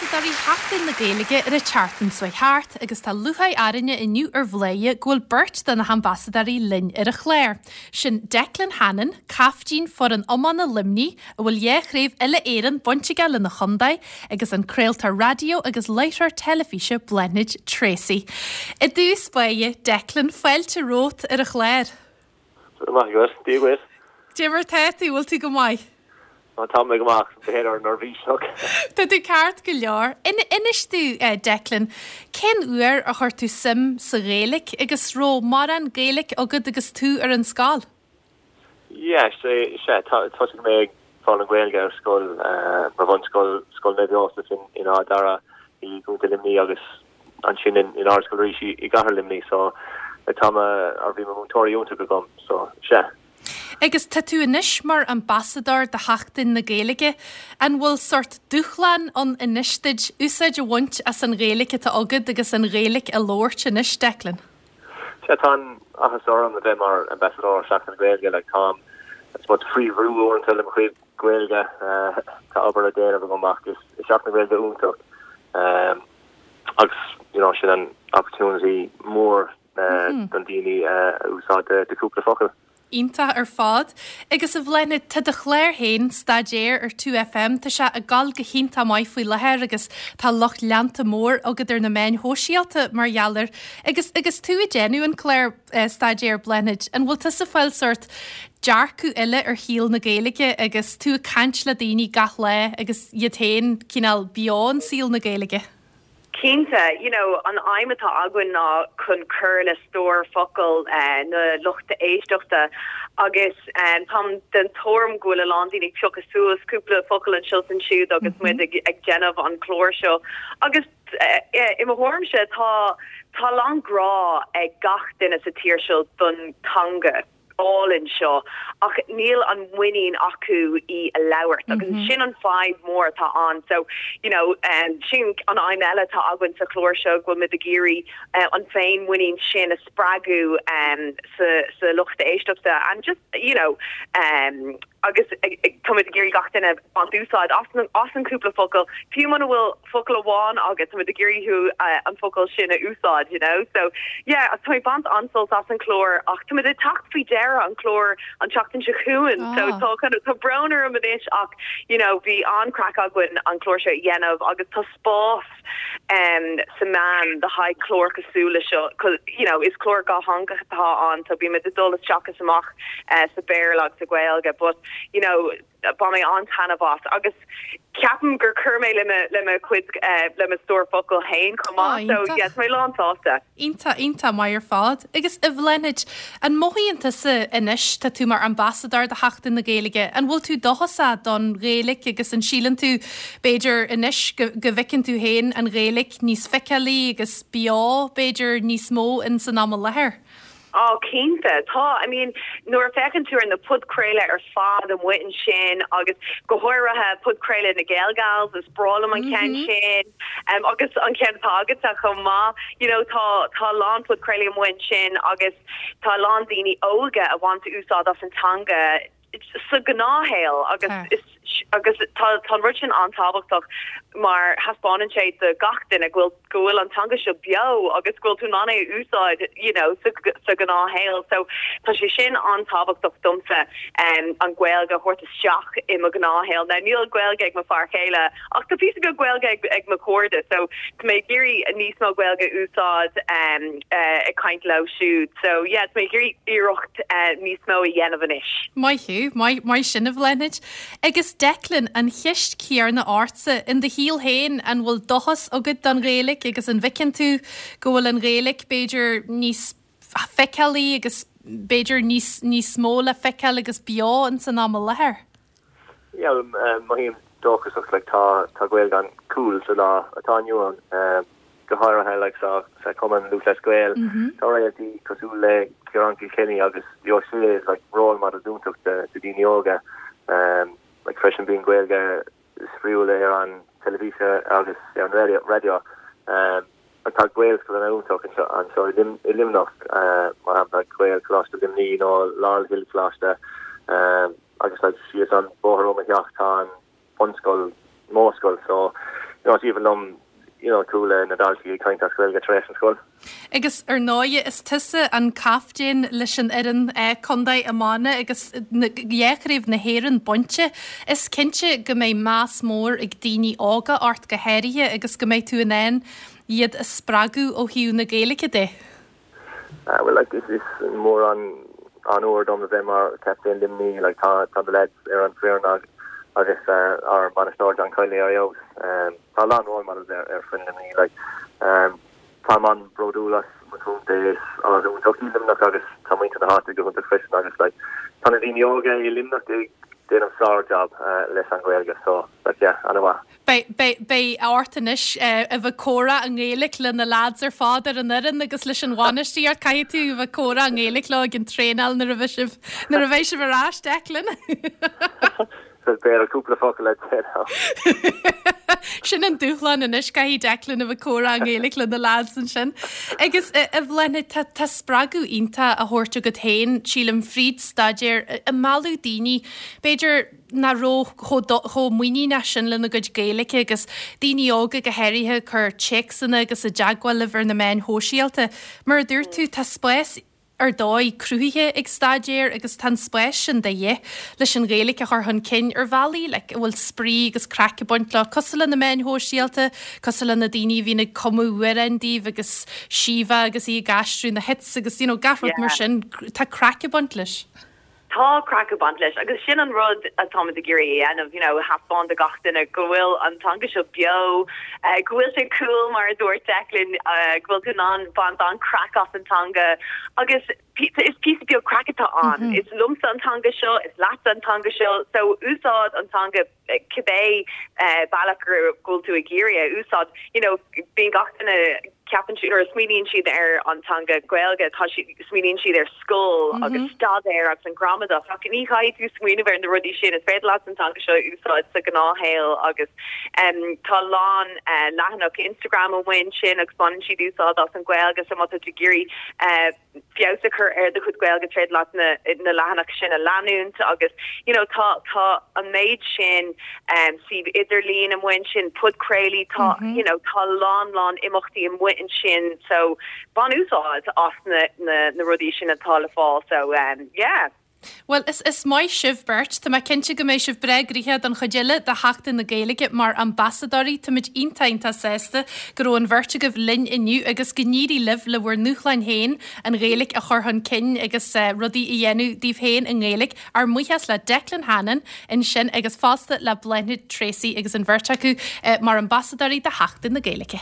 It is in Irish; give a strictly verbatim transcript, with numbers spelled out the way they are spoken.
ambasadóirí Sheachtain na Gaeilge ar an tseachtain seo thart agus tá lúcháir orainne inniu ar Bhladhaire go bhfuil beirt de na hambasadóirí linn ar an chlár. Sin Declan Hannon, caiftín foireann iomána Luimnigh a bhfuil dhá chraobh uile-Éireann bainte aige lena chontae agus an craoltóir raidió agus láithreoir teilifíse Bláthnaid Treacy. I dtús báire Declan fáilte romhat ar an chlár. Maith go dí go Dé mar tá tú bhfuil tú go maith. Tá mé go maith b'fhéidir neirbhíseach. Tá tú ceart go leor. Inis dúinn eh, Declan, cén uair a chuir tú suim sa Ghaeilge agus raibh mórán Gaeilge agat agus tú ar an scoil? Yeah, sé sé thosaigh mé ag fáil an Ghaeilge ar scoil mar bhunscoil Scoil Naomh Iósaf in in Áth Dara i gContae Luimnigh agus ansin in in Ardscoil Rís i gCathair Luimnigh so tá ar bhí múinteoirí iontach agam so sé. Agus tá tú anois mar ambasadóir do Sheachtain na Gaeilge, an bhfuil sórt dúshlán ann anois duit úsáid a bhaint as an Ghaeilge atá agat agus an Ghaeilge a labhairt anois Declan. Sé tá áthas orm a bheith mar ambasadóir Seachtain na Gaeilge le tá faoi bhrú uaireanta le chuid Gaeilge tá obair le déanamh go amach is Seachtain na Gaeilge iontach um, agus you know, sin an opportunity mór uh, don daoine uh, úsáid de cúpla focal. Iontach ar fad, agus a Bhláthnaid tá do chlár féin staidéar ar two FM tá sé ag dul go hiontach maith faoi láthair agus tá lucht leanta mór agat ar na meáin shóisialta mar gheall air. agus agus tú ag déanamh an clár uh, staidéar Bláthnaid, an bhfuil tú ag fáil sórt dearcadh eile ar shaol na Gaeilge agus tú ag caint le daoine gach lá agus iad féin cineál beo i saol na Gaeilge. Cinnte, you know, an aidhm atá againn ná chun cur le stór focal uh, na luchta éisteachta agus um, táim den tuairim go bhfuil a lán daoine ag piocadh suas cúpla focal anseo ansiúd agus mm -hmm. muid ag, ag déanamh an chlár seo. Agus uh, i mo thuairimse tá tá lán grá ag gach duine sa tír seo don teanga álainn seo ach níl an muinín acu í a labhairt agus mm -hmm. sin an fadhb mór atá ann so you know um, sin an aidhm eile atá againn sa chlár seo go bhfuil muid ag iarraidh uh, an féinmhuinín sin a spreagadh um, sa, sa lucht éisteachta and just you know um, agus tá ag iarraidh gach duine baint úsáid as as an cúpla focal fiú muna bhfuil focal amháin agus tá ag iarraidh thú uh, an focal sin a úsáid you know so yeah tá baint an-sult as an chlár ach tá ag teacht faoi deireadh an chlár an tseachtain seo chugainn ah. so tá kind of tá brón orm anois ach you know bhí an-chraic againn an chlár seo a dhéanamh agus tá spás um, sa meán do haghaidh clár cosúil le seo you know is clár dátheangach atá ann so bímid ag dul isteach is amach uh, sa Béarla agus sa Ghaeilge but you know bhain mé an-taitneamh as agus ceapaim gur chuir mé le le mo chuid uh, le mo stór focal féin chomh maith so yes mé lán sásta. Iontach iontach maith ar fad agus a Bhláthnaid an mothaíonn tusa anois tá tú mar ambasadóir do Sheachtain na Gaeilge an bhfuil tú dóchasach don Ghaeilge agus an síleann tú b'fhéidir anois go bhfeiceann tú féin an Ghaeilge níos feiceálaí agus beo b'fhéidir níos mó in san am i láthair. Á cinnte tá I mean nuair a fheiceann tú ar na podchraoltaí ar fad amuigh ansin agus go háirithe podchraoladh na Gaelgals is breá liom an ceann mm -hmm. sin um, agus an ceann agatsa chomh maith you know tá tá lán podchraoltaí amuigh ansin agus tá lán daoine óga a bhaint úsáid as an teanga sa ghnáthshaol agus is agus tá tá rud sin an-tábhachtach mar thaispeánann sé do gach duine go bhfuil go bhfuil an teanga seo beo agus go bhfuil tú in ann é úsáid you know sa sa ghnáthshaol so tá sé sin an-tábhachtach domsa um, an Ghaeilge a thabhairt isteach i mo ghnáthshaol na níl Gaeilge ag mo fear céile ach tá píosa beag Gaeilge ag, ag mo chairde so tá mé ag iarraidh níos mó Gaeilge úsáid um, uh, ag caint leo siúd so yeah tá mé ag iarraidh iarracht uh, níos mó a dhéanamh anois. Maith thú maith sin a Bhláthnaid. Agus Declan an cheist chéanna ortsa in do shaol féin an bhfuil dóchas agat don Ghaeilge agus an bhfeiceann tú go bhfuil an Ghaeilge b'fhéidir níos feiceálaí agus b'fhéidir níos níos mó le feiceáil agus beo in san am i láthair. Yeah, mothaím dóchasach like, tá tá Gaeilge an-cool sa lá atá inniu ann um, go háirithe like, sa sa Cumann Lúthchleas Gael mm -hmm. tá réaltaí cosúil le Ciarán Kilkenny agus Leo sé like, role model iontach de de daoine óga um, like freisin bíonn Gaeilge spraíúil ar an teilifís agus ar an radio radio um, tá Gaelscoil an iontach anseo i Luimneach uh, mar shampla Gaelcholáiste Luimnigh nó Laurel Hill Coláiste um, agus like, síos an bóthar ó mo theach tá an bunscoil Modhscoil so you know, is aoibhinn liom you know, chuala na daltaí ag caint as Gaeilge tar éis an scoil. Agus ar ndóigh is tusa an captaen leis an fhoireann eh, contae iomána agus dhá chraobh na hÉireann bainte. Is cinnte go mbeidh meas mór ag daoine óga ort go háirithe agus go mbeidh tú in ann iad a spreagadh ó thaobh na Gaeilge de. Uh, well like is is mór an onóir dom a bheith mar captain Luimnigh like tá tá na lads ar an foireann agus uh, ár mbainisteoir John Kiely ar fheabhas um, tá lán role models ar ar foireann Luimnigh like um, tá an bródúil as mo chontae agus Luimneach agus tá muintir na háite go hiontach freisin agus like tá na daoine óga i Luimneach ag déanamh sár-job uh, leis an Ghaeilge so like yeah an-mhaith. Beidh ort anois a bheith comhrá i nGaeilge le na lads ar fad ar an fhoireann agus leis an bhainistíocht caithfidh tú bheith comhrá i nGaeilge leo ag an traenáil nuair a bheidh sibh nuair a bheidh sibh ar ais Declan. Beidh cúpla focal le Sin an dúshlán anois caithfidh Declan a bheith comhrá i nGaeilge le na lads ansin. Agus a Bhláthnaid tá spreagadh iontach á thabhairt agat féin sílim fríd staidéar ag mealladh daoine b'fhéidir nach raibh chomh muiníneach sin lena gcuid Gaeilge agus daoine óga go háirithe cur téacsanna agus i dteagmháil libh ar na meáin shóisialta. Mar a dúirt tú tá spás ar dóigh cruthaithe ag staidéar agus tá an spás sin de dhíth leis an Ghaeilge a chur chun cinn ar bhealaí le a bhfuil spraoi agus craic ag baint leo cosúil le na meáin shóisialta, cosúil le na daoine a bhíonn ag cumadh amhráin daoibh agus Síomha agus í ag aistriú na hits agus you know, gach rud mar sin tá craic ag baint leis. Tá craic ag baint leis agus sin an rud atáimid ag iarraidh a dhéanamh you know thaispeáint do gach duine go bhfuil an teanga seo beo uh, go bhfuil sé cool mar a dúirt Declan uh, go bhfuil tú in ann baint an craic as an teanga agus is píosa beag craic atá ann. Mm -hmm. Is liomsa an teanga seo, is leatsa an teanga seo, so úsáid an teanga cibé uh, bealach go bhfuil tú ag iarraidh úsáid you know bíonn gach duine ceapann siad nuair a smaoiníonn siad ar an teanga Gaeilge tá smaoiníonn siad ar scoil mm -hmm. agus staidéar agus an gramadach ach ní chaithfidh tú smaoineamh ar na rudaí sin is féidir leat an teanga seo úsáid sa ghnáthshaol agus um, tá lán uh, leathanach Instagram amháin sin agus baineann siad úsáid as an Ghaeilge so má tá tú ag iarraidh uh, feabhas a chur ar do chuid Gaeilge is féidir leat na, na leathanaigh sin a leanúint agus you know, tá tá an méid sin um, suíomh idirlín amháin sin podchraoltaí tá mm -hmm. you know, tá lán lán imeachtaí amuigh ansin so bain úsáid as na, na, na rudaí sin atá le fáil so um, yeah. Well is is maith sibh beirt Tá mé cinnte go mbeidh sibh breá gnoitheach don chuid eile de Sheachtain na Gaeilge mar ambasadóirí Táimid iontach sásta go raibh an bheirt agaibh linn inniu agus go n-éirí libh le bhur ndúshláin féin an Ghaeilge a chur chun cinn agus uh, rudaí a dhéanamh daoibh féin i nGaeilge ár mbuíochas le Declan Hannon ansin agus fosta le Bláthnaid Treacy agus an bheirt acu uh, mar ambasadóirí de Sheachtain na Gaeilge.